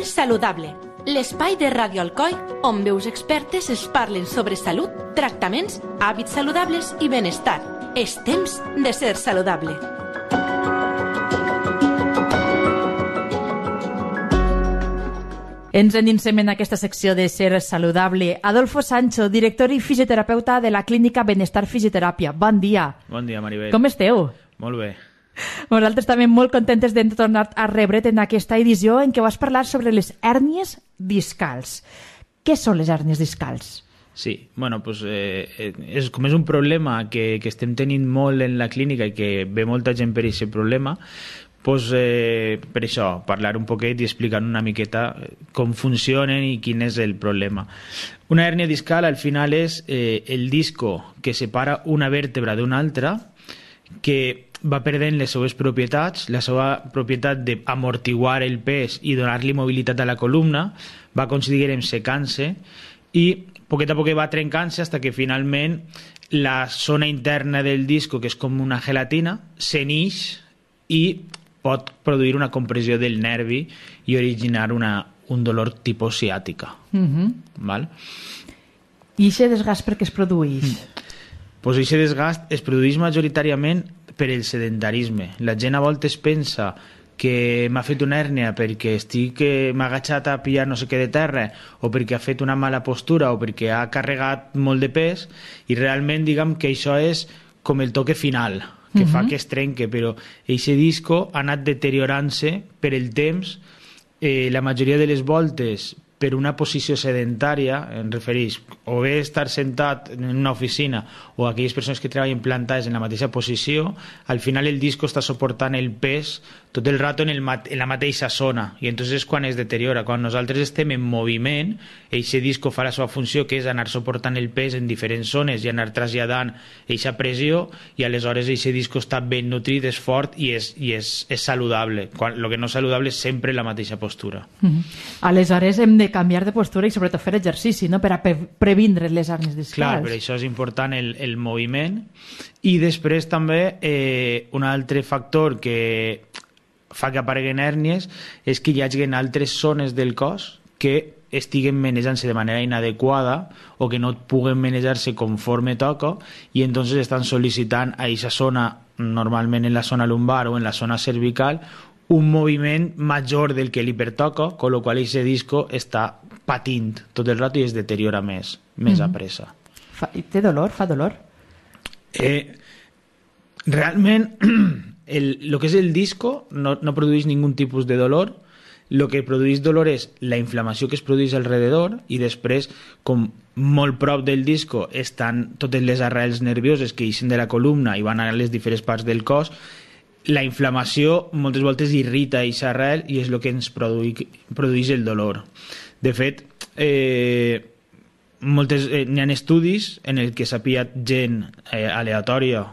Ser saludable, l'espai de Ràdio Alcoi on veus expertes es parlen sobre salut, tractaments, hàbits saludables i benestar. És temps de ser saludable. Ens endinsem en aquesta secció de Ser saludable. Adolfo Sancho, director i fisioterapeuta de la clínica Benestar Fisioteràpia. Bon dia. Bon dia, Maribel. Com esteu? Molt bé. Nosaltres també molt contentes de tornar a rebre't en aquesta edició en què vas parlar sobre les hèrnies discals. Què són les hèrnies discals? Sí, bueno, pues, com és un problema que estem tenint molt en la clínica i que ve molta gent per aquest problema, pues, per això, parlar un poquet i explicar una miqueta com funcionen i quin és el problema. Una hèrnia discal al final és el disco que separa una vèrtebra d'una altra, que va perdent les seves propietats, la seva propietat d'amortiguar el pes i donar-li mobilitat a la columna, va aconseguir secant-se i poquet a poquet va trencant-se fins que finalment la zona interna del disco, que és com una gelatina, s'enix i pot produir una compressió del nervi i originar un dolor tipus ciàtica. Val? I aquest desgast per què es produeix? Pues aquest desgast es produeix majoritàriament per el sedentarisme. La gent a voltes pensa que m'ha fet una hèrnia perquè m'ha agachat a pillar no sé què de terra o perquè ha fet una mala postura o perquè ha carregat molt de pes i realment diguem que això és com el toque final que fa que es trenque, però aquest disco ha anat deteriorant-se per el temps, la majoria de les voltes per una posició sedentària, em refereix o bé estar sentat en una oficina o aquelles persones que treballen plantades en la mateixa posició, al final el disco està suportant el pes tot el rato en la mateixa zona i entonces és quan es deteriora. Quan nosaltres estem en moviment, aquest disco fa la seva funció, que és anar suportant el pes en diferents zones i anar traslladant aquesta pressió i aleshores aquest disco està ben nutrit, és fort i és saludable. El que no és saludable és sempre la mateixa postura. Aleshores hem de canviar de postura i sobretot fer exercici, no? Per a previndre les hèrnies discals. Clar, per això és important el moviment. I després també un altre factor que fa que apareguen hèrnies és que hi hagi altres zones del cos que estiguen manejant-se de manera inadequada o que no puguen manejar-se conforme toca i entonces estan sol·licitant a aquesta zona, normalment en la zona lumbar o en la zona cervical, un moviment major del que li pertoca, con lo qual aquest disco està patint tot el rato i es deteriora més a pressa. Té dolor? Fa dolor? Realment el que és el disco no produeix ningú tipus de dolor. El que produeix dolor és la inflamació que es produeix alrededor i després, com molt prop del disco estan totes les arrels nervioses que ixen de la columna i van a les diferents parts del cos, la inflamació moltes voltes irrita aquesta arrel i és el que ens produeix el dolor. De fet, n'hi ha estudis en el que s'ha pillat gent aleatòria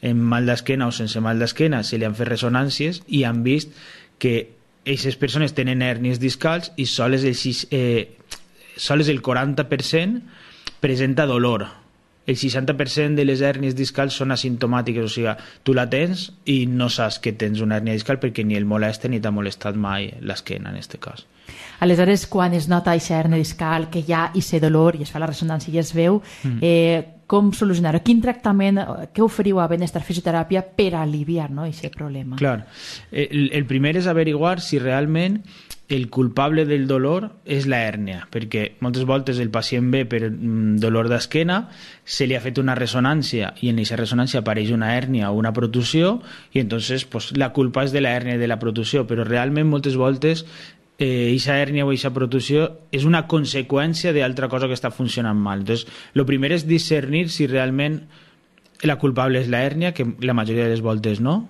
amb mal d'esquena o sense mal d'esquena, se li han fet ressonàncies i han vist que aquestes persones tenen hèrnies discals i sols el 40% presenta dolor. El 60% de les hèrnies discals són asimptomàtiques, o sigui, tu la tens i no saps que tens una hèrnia discal perquè ni el molesta ni t'ha molestat mai l'esquena, en aquest cas. Aleshores, quan es nota aquesta hèrnia discal, que hi ha aquest dolor i es fa la ressonància i es veu, com solucionar-ho? Quin tractament, què oferiu a Benestar Fisioteràpia per aliviar aquest problema? Clar, el primer és averiguar si realment el culpable del dolor és la hèrnia, perquè moltes voltes el pacient ve per dolor d'esquena, se li ha fet una ressonància i en aquesta ressonància apareix una hèrnia o una protusió i entonces pues, la culpa és de la hèrnia i de la protusió, però realment moltes voltes aquesta hèrnia o aquesta protusió és una conseqüència d'altra cosa que està funcionant mal. Entonces, el primer és discernir si realment la culpable és la hèrnia, que la majoria de les voltes no,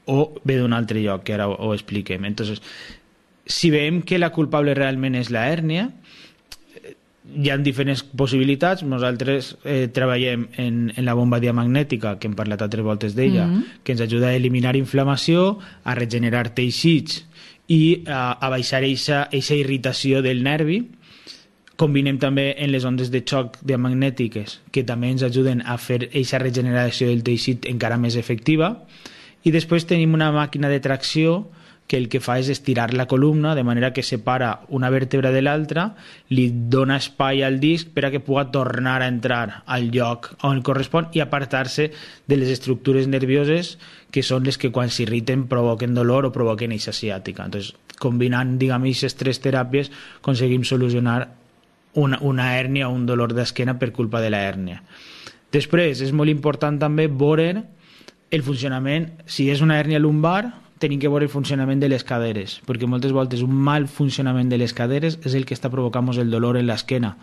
o ve d'un altre lloc, que ara ho expliquem. Entonces, si veiem que la culpable realment és la hèrnia, hi ha diferents possibilitats. Nosaltres treballem en la bomba diamagnètica, que hem parlat altres voltes d'ella, que ens ajuda a eliminar inflamació, a regenerar teixits i a baixar aquesta irritació del nervi. Combinem també en les ondes de xoc diamagnètiques, que també ens ajuden a fer aquesta regeneració del teixit encara més efectiva. I després tenim una màquina de tracció que el que fa és estirar la columna de manera que separa una vèrtebra de l'altra, li dona espai al disc per a que pugui tornar a entrar al lloc on correspon i apartar-se de les estructures nervioses que són les que quan s'irriten provoquen dolor o provoquen eixa ciàtica. Entonces, combinant, diguem, aquestes 3 teràpies aconseguim solucionar una hèrnia o un dolor d'esquena per culpa de la hèrnia. Després, és molt important també veure el funcionament, si és una hèrnia lumbar, tenim que veure el funcionament de les caderes, perquè moltes voltes un mal funcionament de les caderes és el que està provocant el dolor en l'esquena.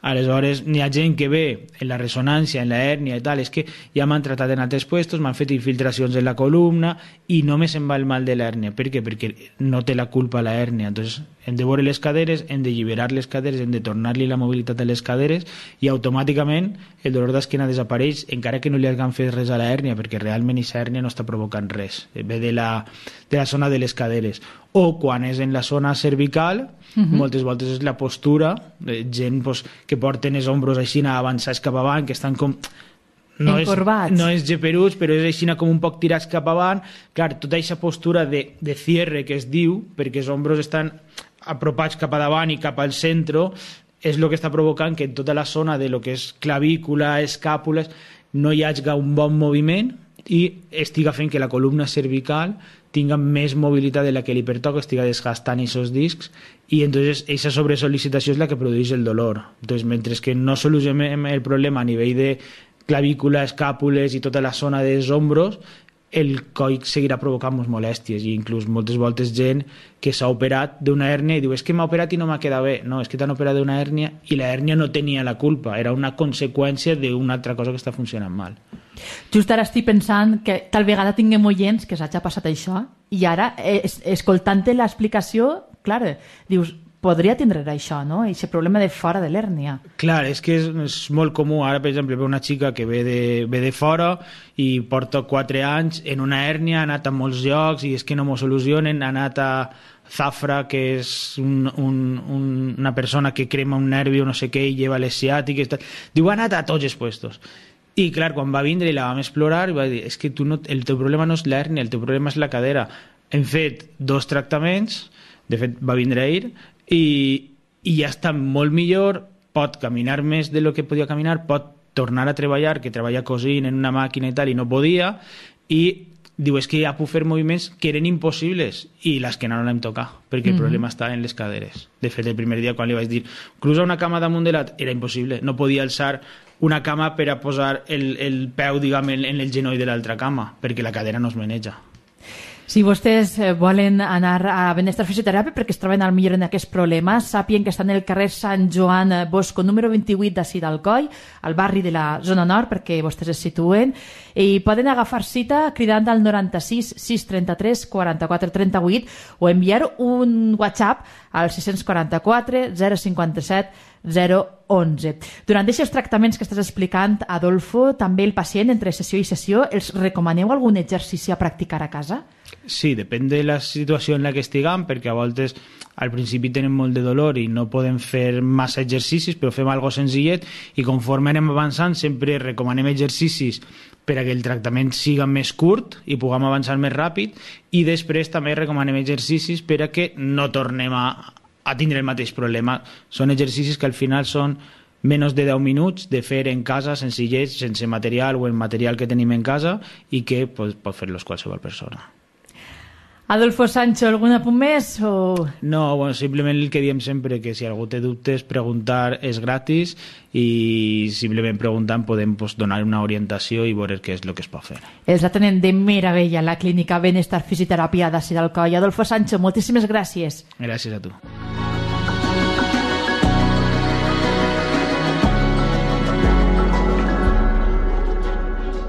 Aleshores, n'hi ha gent que ve en la ressonància, en la hèrnia i tal, és que ja m'han tratat en altres puestos, m'han fet infiltracions en la columna i només em va el mal de l'hèrnia. Per què? Perquè no té la culpa la hèrnia. Entonces, hem de veure les caderes, hem de alliberar les caderes, hem de tornar-li la mobilitat a les caderes i automàticament el dolor d'esquena desapareix, encara que no li hagin fet res a la hèrnia, perquè realment aquesta hèrnia no està provocant res. Ve de la zona de les caderes. O quan és en la zona cervical, moltes voltes és la postura, gent que porten els ombros així avançats cap avant, que estan com... encorbats. No és geperuts, però és així com un poc tirats cap avant. Clar, tota aquesta postura de cierre que es diu, perquè els ombros estan apropats cap a davant i cap al centre, és el que està provocant que en tota la zona de lo que és clavícula, escàpules, no hi hagi un bon moviment i estiga fent que la columna cervical tinga més mobilitat de la que li pertoca, estiga desgastant aquests discs i entonces aquesta sobresolicitació és la que produeix el dolor. Entonces, mentre que no solucionem el problema a nivell de clavícula, escàpules i tota la zona dels ombros, el coll seguirà provocant molèsties i inclús moltes voltes gent que s'ha operat d'una hèrnia i diu és que m'ha operat i no m'ha quedat bé. No, és que t'han operat d'una hèrnia i la hèrnia no tenia la culpa, era una conseqüència d'una altra cosa que està funcionant mal. Just ara estic pensant que tal vegada tinguem oients que s'hagi passat això i ara, escoltant-te l'explicació, clar, dius, podria tindre això, no? Aquest problema de fora de l'hèrnia. Clar, és que és molt comú. Ara, per exemple, ve una xica que ve de fora i porta 4 anys en una hèrnia, ha anat a molts llocs i és que no m'ho solucionen, ha anat a Zafra, que és una persona que crema un nervi o no sé què i lleva les ciàtiques. Diu, ha anat a tots els puestos. I clar, quan va vindre i la vam explorar, va dir, és que el teu problema no és l'hèrnia, el teu problema és la cadera. Hem fet 2 tractaments, de fet va vindre ahir, i ja està molt millor, pot caminar més de lo que podia caminar, pot tornar a treballar, que treballa cosint en una màquina i tal, i no podia, i diu, és que ja puc fer moviments que eren impossibles, i l'esquena no l'hem tocat, perquè el problema està en les caderes. De fet, el primer dia, quan li vaig dir, cruza una cama damunt de l'altre, era impossible, no podia alçar una cama per a posar el peu, diguem, en el genoll de l'altra cama, perquè la cadera no es maneja. Si vostès volen anar a Benestar Fisioteràpia perquè es troben al millor en aquests problemes, sàpien que estan en el carrer Sant Joan Bosco, número 28 d'ací d'Alcoi, al barri de la zona nord, perquè vostès es situen, i poden agafar cita cridant al 96 633 44 38 o enviar un WhatsApp al 644 057 011. Durant aquests tractaments que estàs explicant, Adolfo, també el pacient, entre sessió i sessió, els recomaneu algun exercici a practicar a casa? Sí, depèn de la situació en la que estiguem, perquè a voltes al principi tenen molt de dolor i no podem fer massa exercicis, però fem algo senzillet i conforme anem avançant sempre recomanem exercicis per a que el tractament siga més curt i puguem avançar més ràpid i després també recomanem exercicis per a que no tornem a tindre el mateix problema. Són exercicis que al final són menys de 10 minuts de fer en casa, senzillets, sense material o en material que tenim en casa i que pot fer-los qualsevol persona. Adolfo Sancho, algun apunt més? O... No, bueno, simplement el que diem sempre, que si algú té dubtes, preguntar és gratis i simplement preguntant podem donar una orientació i veure què és el que es pot fer. Els atenen de meravella a la clínica Benestar Fisioteràpia d'ací d'Alcoi. Adolfo Sancho, moltíssimes gràcies. Gràcies a tu.